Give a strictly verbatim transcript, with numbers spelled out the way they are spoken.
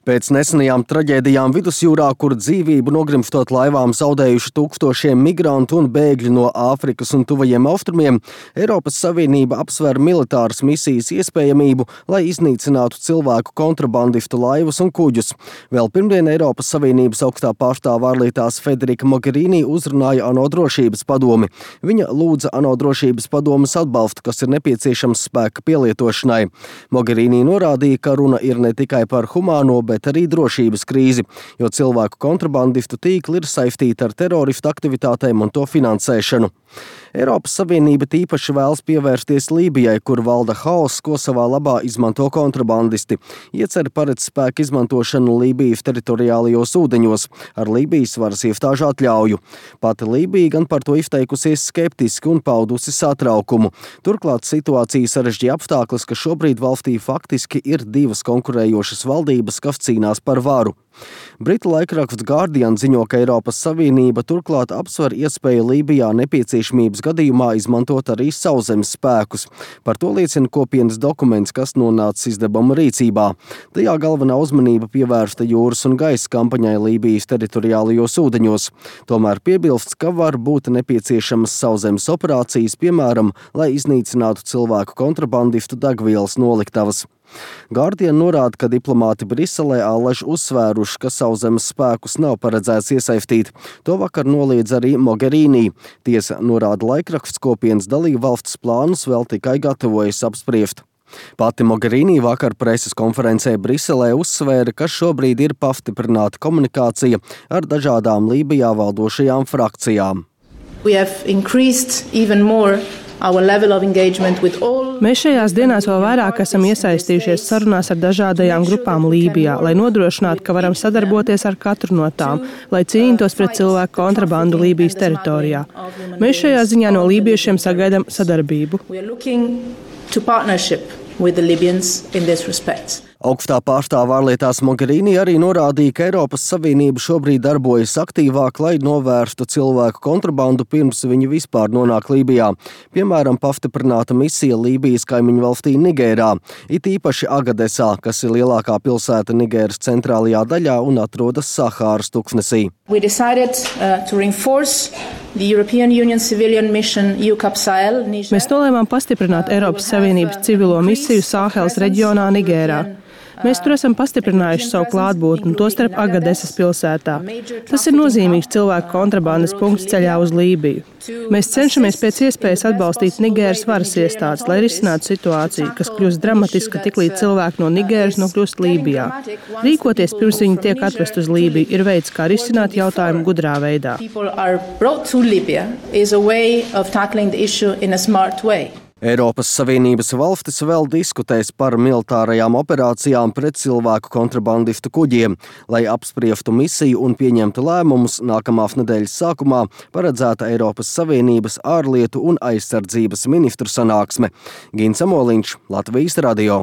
Pēc nesenajām traģēdijām vidusjūrā, kur dzīvību nogrimstot laivām zaudējuši tūkstošiem migrantu un bēgļu no Āfrikas un tuvajiem austrumiem, Eiropas Savienība apsver militāras misijas iespējamību, lai iznīcinātu cilvēku kontrabandistu laivas un kuģus. Vēl pirmdien Eiropas Savienības augstā pārstāve ārlietās Federica Mogherini uzrunāja ANO drošības padomi. Viņa lūdza ANO drošības padomes atbalstu, kas ir nepieciešams spēka pielietošanai. Mogherini norādīja, ka runa ir ne tikai par humāno, bet arī drošības krīzi, jo cilvēku kontrabandistu tīkli ir saistīti ar teroristu aktivitātēm un to finansēšanu. Eiropas Savienība tīpaši vēlas pievērsties Lībijai, kur valda haoss, ko savā labā izmanto kontrabandisti. Ieceri paredz spēku izmantošanu Lībijas teritoriālajos ūdeņos ar Lībijas varas iestāžu atļauju. Pati Lībija gan par to izteikusies skeptiski un paudusi satraukumu. Turklāt situācija sarežģīja apstākļus, ka šobrīd valstī faktiski ir divas konkurējošas valdības, kas cīnās par varu. Britu laikraksts Guardian ziņo, ka Eiropas Savienība turklāt apsver iespēju Lībijā nepieciešamības gadījumā izmantot arī sauszemes spēkus. Par to liecina kopienas dokuments, kas nonācis izdevuma rīcībā. Tajā galvenā uzmanība pievērsta jūras un gaisa kampaņai Lībijas teritoriālajos ūdeņos. Tomēr piebilsts, ka var būt nepieciešamas sauszemes operācijas, piemēram, lai iznīcinātu cilvēku kontrabandistu degvielas noliktavas. Guardian norāda, ka diplomāti Briselē allaž uzsvēruši, ka sauszemes spēkus nav paredzēts iesaistīt. To vakar noliedz arī Mogherini. Tiesa, norāda laikraksts, kopienas dalību valsts plānus vēl tikai gatavojas apspriest. Pati Mogherini vakar preses konferencē Briselē uzsvēra, ka šobrīd ir pastiprināta komunikācija ar dažādām Lībijā valdošajām frakcijām. We have increased even more our level of engagement with all. Mēs šajās dienās vēl vairāk esam iesaistījušies sarunās ar dažādajām grupām Lībijā, lai nodrošinātu, ka varam sadarboties ar katru no tām, lai cīnītos pret cilvēku kontrabandu Lībijas teritorijā. Mēs šajā ziņā no lībiešiem sagaidām sadarbību. Augstā pārstāve ārlietās Mogherini arī norādīja, ka Eiropas Savienība šobrīd darbojas aktīvāk, lai novērstu cilvēku kontrabandu pirms viņi vispār nonāk Lībijā. Piemēram, pastiprināta misija Lībijas kaimiņu valstī Nigērā, it īpaši Agadesā, kas ir lielākā pilsēta Nigēras centrālajā daļā un atrodas Sahāras tuksnesī. We decided, uh, to reinforce the European Union civilian mission E U C A P Sahel. Mēs nolēmām pastiprināt Eiropas Savienības civilo misiju Sāheles reģionā Nigērā. Mēs tur esam pastiprinājuši savu klātbūtni, tostarp Agadesas pilsētā. Tas ir nozīmīgs cilvēku kontrabandas punkts ceļā uz Lībiju. Mēs cenšamies pēc iespējas atbalstīt Nigēras varas iestādes, lai risinātu situāciju, kas kļūst dramatiska tiklīdz cilvēki no Nigēras nokļūst Lībijā. Rīkoties pirms viņi tiek atvest uz Lībiju ir veids, kā risināt jautājumu gudrā veidā. Eiropas Savienības valstis vēl diskutēs par militārajām operācijām pret cilvēku kontrabandistu kuģiem, lai apspriestu misiju un pieņemtu lēmumus nākamās nedēļas sākumā paredzēta Eiropas Savienības ārlietu un aizsardzības ministru sanāksme. Gins Amoliņš, Latvijas radio.